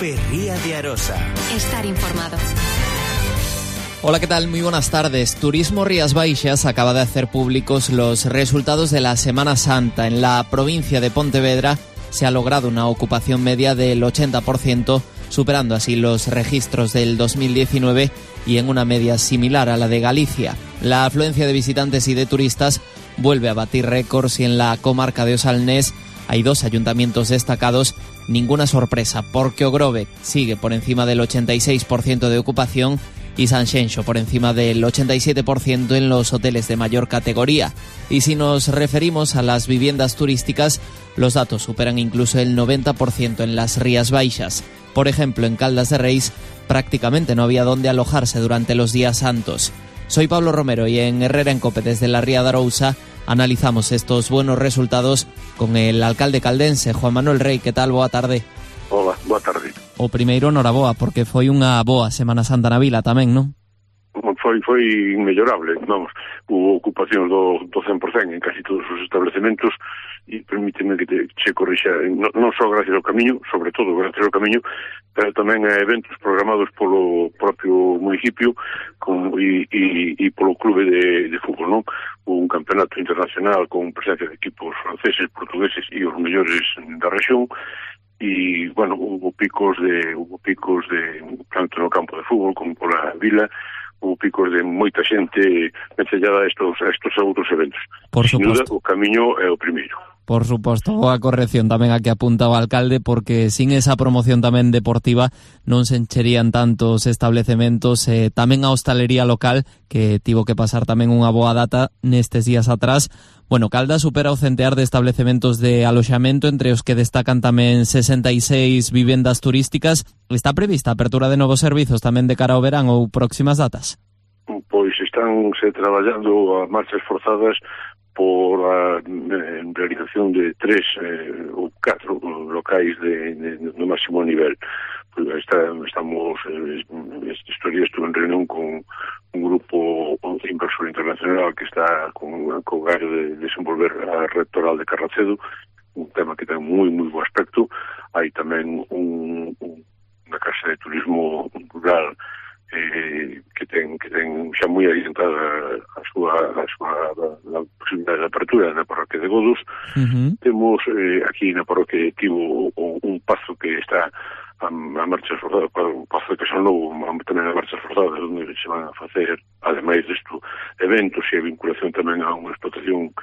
Cope Ría de Arosa. Estar informado. Hola, ¿qué tal? Muy buenas tardes. Turismo Rías Baixas acaba de hacer públicos los resultados de la Semana Santa. En la provincia de Pontevedra se ha logrado una ocupación media del 80%, superando así los registros del 2019 y en una media similar a la de Galicia. La afluencia de visitantes y de turistas vuelve a batir récords y en la comarca de Osalnés hay dos ayuntamientos destacados. Ninguna sorpresa, porque Ogrove sigue por encima del 86% de ocupación y Sanxenxo por encima del 87% en los hoteles de mayor categoría. Y si nos referimos a las viviendas turísticas, los datos superan incluso el 90% en las Rías Baixas. Por ejemplo, en Caldas de Reis prácticamente no había dónde alojarse durante los días santos. Soy Pablo Romero y en Herrera en Cope desde la Ría de Arousa analizamos estos buenos resultados con el alcalde caldense, Juan Manuel Rey. Que tal? Boa tarde. Hola, boa tarde. O primeiro, noraboa, porque foi unha boa Semana Santa na vila tamén, non? Foi inmellorable, vamos, hubo ocupación do 100% en casi todos os establecementos e permíteme que che corrixa, non só gracias ao camiño, sobre todo gracias ao camiño, pero tamén a eventos programados polo propio municipio e polo clube de fútbol, non? Un campeonato internacional con presencia de equipos franceses, portugueses e os mellores da rexión. E, bueno, hubo picos de tanto no campo de fútbol como pola vila, hubo picos de moita xente vencellada a estos outros eventos. Por Sin suposto. duda, o camiño é o primeiro. Por suposto, boa corrección tamén a que apunta o alcalde, porque sin esa promoción tamén deportiva non se encherían tantos establecementos, tamén a hostalería local, que tivo que pasar tamén unha boa data nestes días atrás. Bueno, Caldas supera o centear de establecementos de aloxamento, entre os que destacan tamén 66 vivendas turísticas. Está prevista a apertura de novos servizos tamén de cara ao verán ou próximas datas? Pois estánse traballando a marchas forzadas por a realización de 3 ou 4 locais no máximo nivel. Estamos estes días estuve en reunión con un grupo inversor internacional que está con gallo de desenvolver a rectoral de Carracedo, un tema que ten moi bo aspecto. Hai tamén unha casa de turismo rural que ten xa moi adiantada a súa posibilidade de apertura na parroquia de Godos. Temos aquí na parroquia tivo un pazo que está a marchas forzadas, un pazo que son novo tamén a marchas forzadas, onde se van a facer, ademais desto, eventos e a vinculación tamén a unha explotación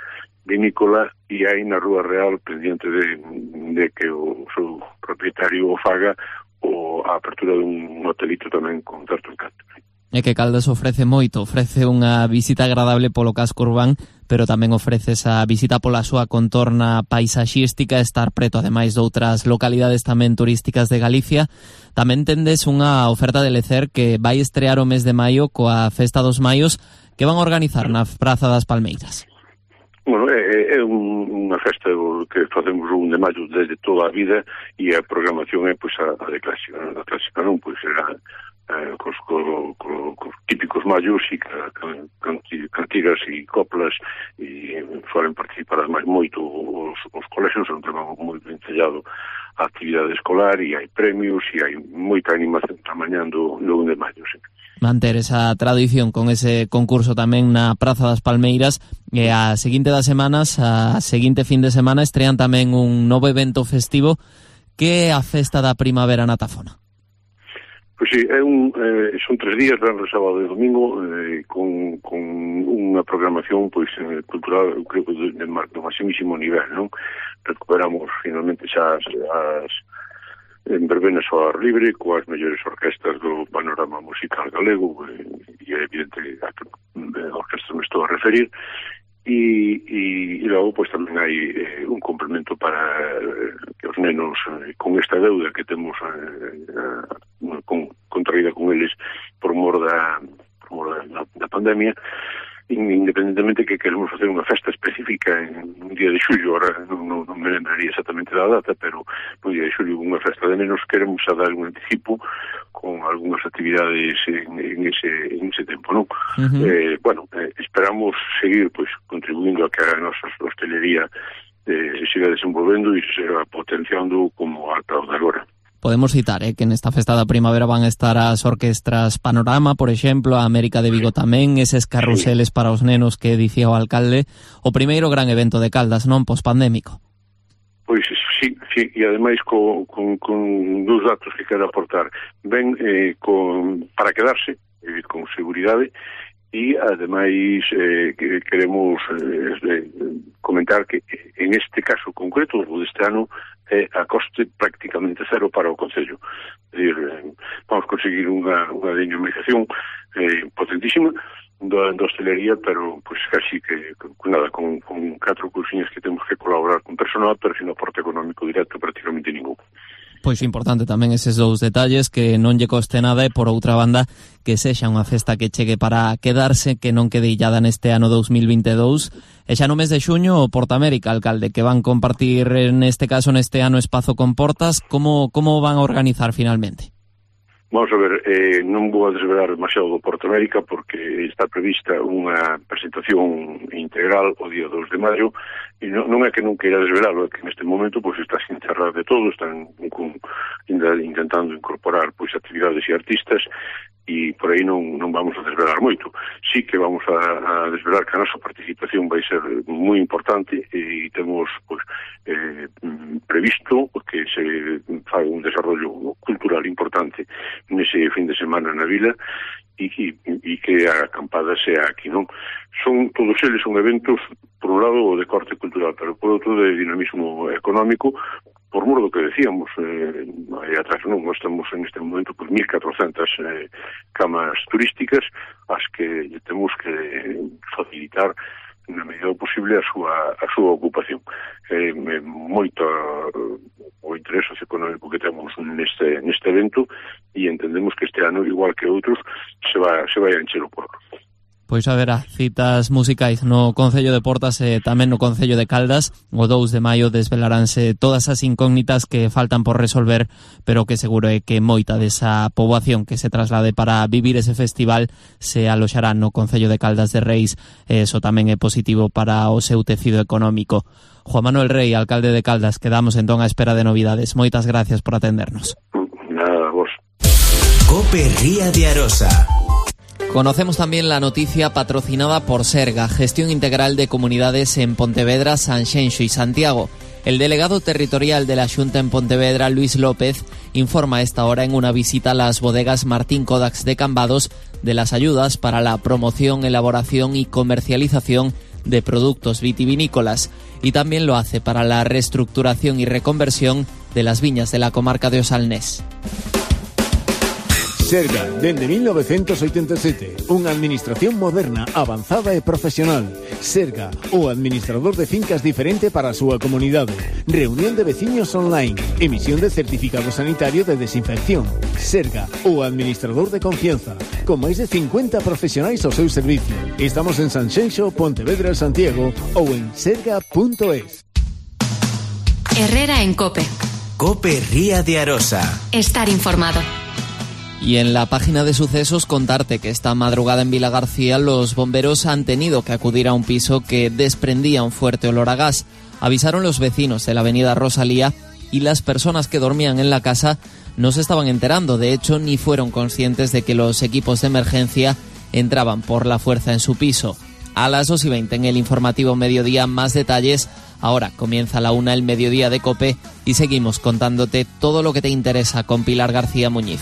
vinícola, e hai na Rúa Real pendiente de que o seu propietario o faga ou a apertura dun hotelito tamén con certo encanto. É que Caldas ofrece moito, ofrece unha visita agradable polo casco urbán, pero tamén ofrece esa visita pola súa contorna paisaxística, estar preto ademais de outras localidades tamén turísticas de Galicia. Tamén tendes unha oferta de lecer que vai estrear o mes de maio coa Festa dos Maios, que van a organizar na Praza das Palmeiras. Bueno, é unha festa que facemos o 1 de maio desde toda a vida, e a programación é pois a de clásica, a clásica non, pois será cos típicos mallos e cantigas e coplas, e foren participar ademais moito os colexios, é un tema moi ben sellado a actividade escolar, e hai premios e hai moita animación tramañando no 1 de maio, sí. Manter esa tradición con ese concurso tamén na Praza das Palmeiras, e a seguinte das semanas, a seguinte fin de semana, estrean tamén un novo evento festivo que é a Festa da Primavera na Tafona. Pois sí, son 3 días, verán, sábado e domingo, con unha programación pois cultural, eu creo que de maximísimo nivel, non? Recuperamos finalmente xa as verbenas ao ar libre, coas mellores orquestas do panorama musical galego, e é evidente a que orquestas me estou a referir, e logo pois tamén hai un complemento para que os nenos con esta deuda que temos contraída con eles por mor da pandemia, independentemente que queremos facer unha festa específica en un día de xullo. Ahora non me lembraría exactamente da data, pero no día de xullo unha festa de nenos queremos a dar un anticipo con algunhas actividades en ese tempo, non? Esperamos seguir pois contribuindo a que a nosa hostelería se siga desenvolvendo e se siga potenciando como ata o de agora. Podemos citar que nesta festa da primavera van a estar as orquestras Panorama, por exemplo, a América de Vigo tamén, eses carruseles para os nenos que dicía o alcalde, o primeiro gran evento de Caldas, non, pospandémico. Pois sí, e ademais con dous datos que quero aportar. Ben, para quedarse, con seguridade, e ademais queremos comentar que en este caso concreto o deste ano a coste prácticamente cero para o Concello. É dicir, vamos conseguir unha dinamización potentísima da hostelería, pero pues casi que nada, con 4 cousiñas que temos que colaborar con personal, pero sin aporte económico directo prácticamente ningún. Pois importante tamén eses dous detalles, que non lle coste nada e, por outra banda, que sexa unha festa que chegue para quedarse, que non quede illada neste ano 2022. E xa no mes de xuño o Portamérica, alcalde, que van compartir neste caso neste ano espazo con Portas, como van a organizar finalmente? Vamos a ver, non vou a desvelar demasiado do Portamérica porque está prevista unha presentación integral o día 2 de maio e non é que non queira desvelalo, é que neste momento pues, está sin cerrar de todo, están intentando incorporar pues, actividades e artistas e por aí non vamos a desvelar moito. Sí que vamos a desvelar que a nosa participación vai ser moi importante e temos pues, previsto que se faga un desarrollo cultural importante nese fin de semana na vila e que a acampada sea aquí, non? Todos eles son eventos, por un lado, de corte cultural, pero por outro, de dinamismo económico, por mor do que decíamos aí atrás, non? Nós estamos en este momento por 1.400 camas turísticas as que temos que facilitar na medida posible a súa ocupación. Moito o interés socioeconómico que temos neste evento e entendemos que este ano, igual que outros, se vai a encher o porco. Pois haberá citas musicais no Concello de Portas e tamén no Concello de Caldas. O 2 de maio desvelaránse todas as incógnitas que faltan por resolver, pero que seguro é que moita desa poboación que se traslade para vivir ese festival se aloxará no Concello de Caldas de Reis. Eso tamén é positivo para o seu tecido económico. Juan Manuel Rey, alcalde de Caldas, quedamos entón á espera de novidades. Moitas gracias por atendernos. Nada, vos. COPE Ría de Arosa. Conocemos también la noticia patrocinada por Serga, Gestión Integral de Comunidades en Pontevedra, Sanxenxo y Santiago. El delegado territorial de la Xunta en Pontevedra, Luis López, informa a esta hora en una visita a las bodegas Martín Kodax de Cambados de las ayudas para la promoción, elaboración y comercialización de productos vitivinícolas, y también lo hace para la reestructuración y reconversión de las viñas de la comarca de Osalnés. Serga, dende 1987, unha administración moderna, avanzada e profesional. Serga, o administrador de fincas diferente para a súa comunidade. Reunión de veciños online. Emisión de certificado sanitario de desinfección. Serga, o administrador de confianza. Con máis de 50 profesionais ao seu servicio. Estamos en Sanxenxo, Pontevedra, Santiago ou en serga.es. Herrera en COPE. COPE Ría de Arosa. Estar informado. Y en la página de sucesos contarte que esta madrugada en Vilagarcía los bomberos han tenido que acudir a un piso que desprendía un fuerte olor a gas. Avisaron los vecinos de la avenida Rosalía y las personas que dormían en la casa no se estaban enterando, de hecho ni fueron conscientes de que los equipos de emergencia entraban por la fuerza en su piso. A las 2:20 en el informativo Mediodía más detalles. Ahora comienza la 1 el Mediodía de COPE y seguimos contándote todo lo que te interesa con Pilar García Muñiz.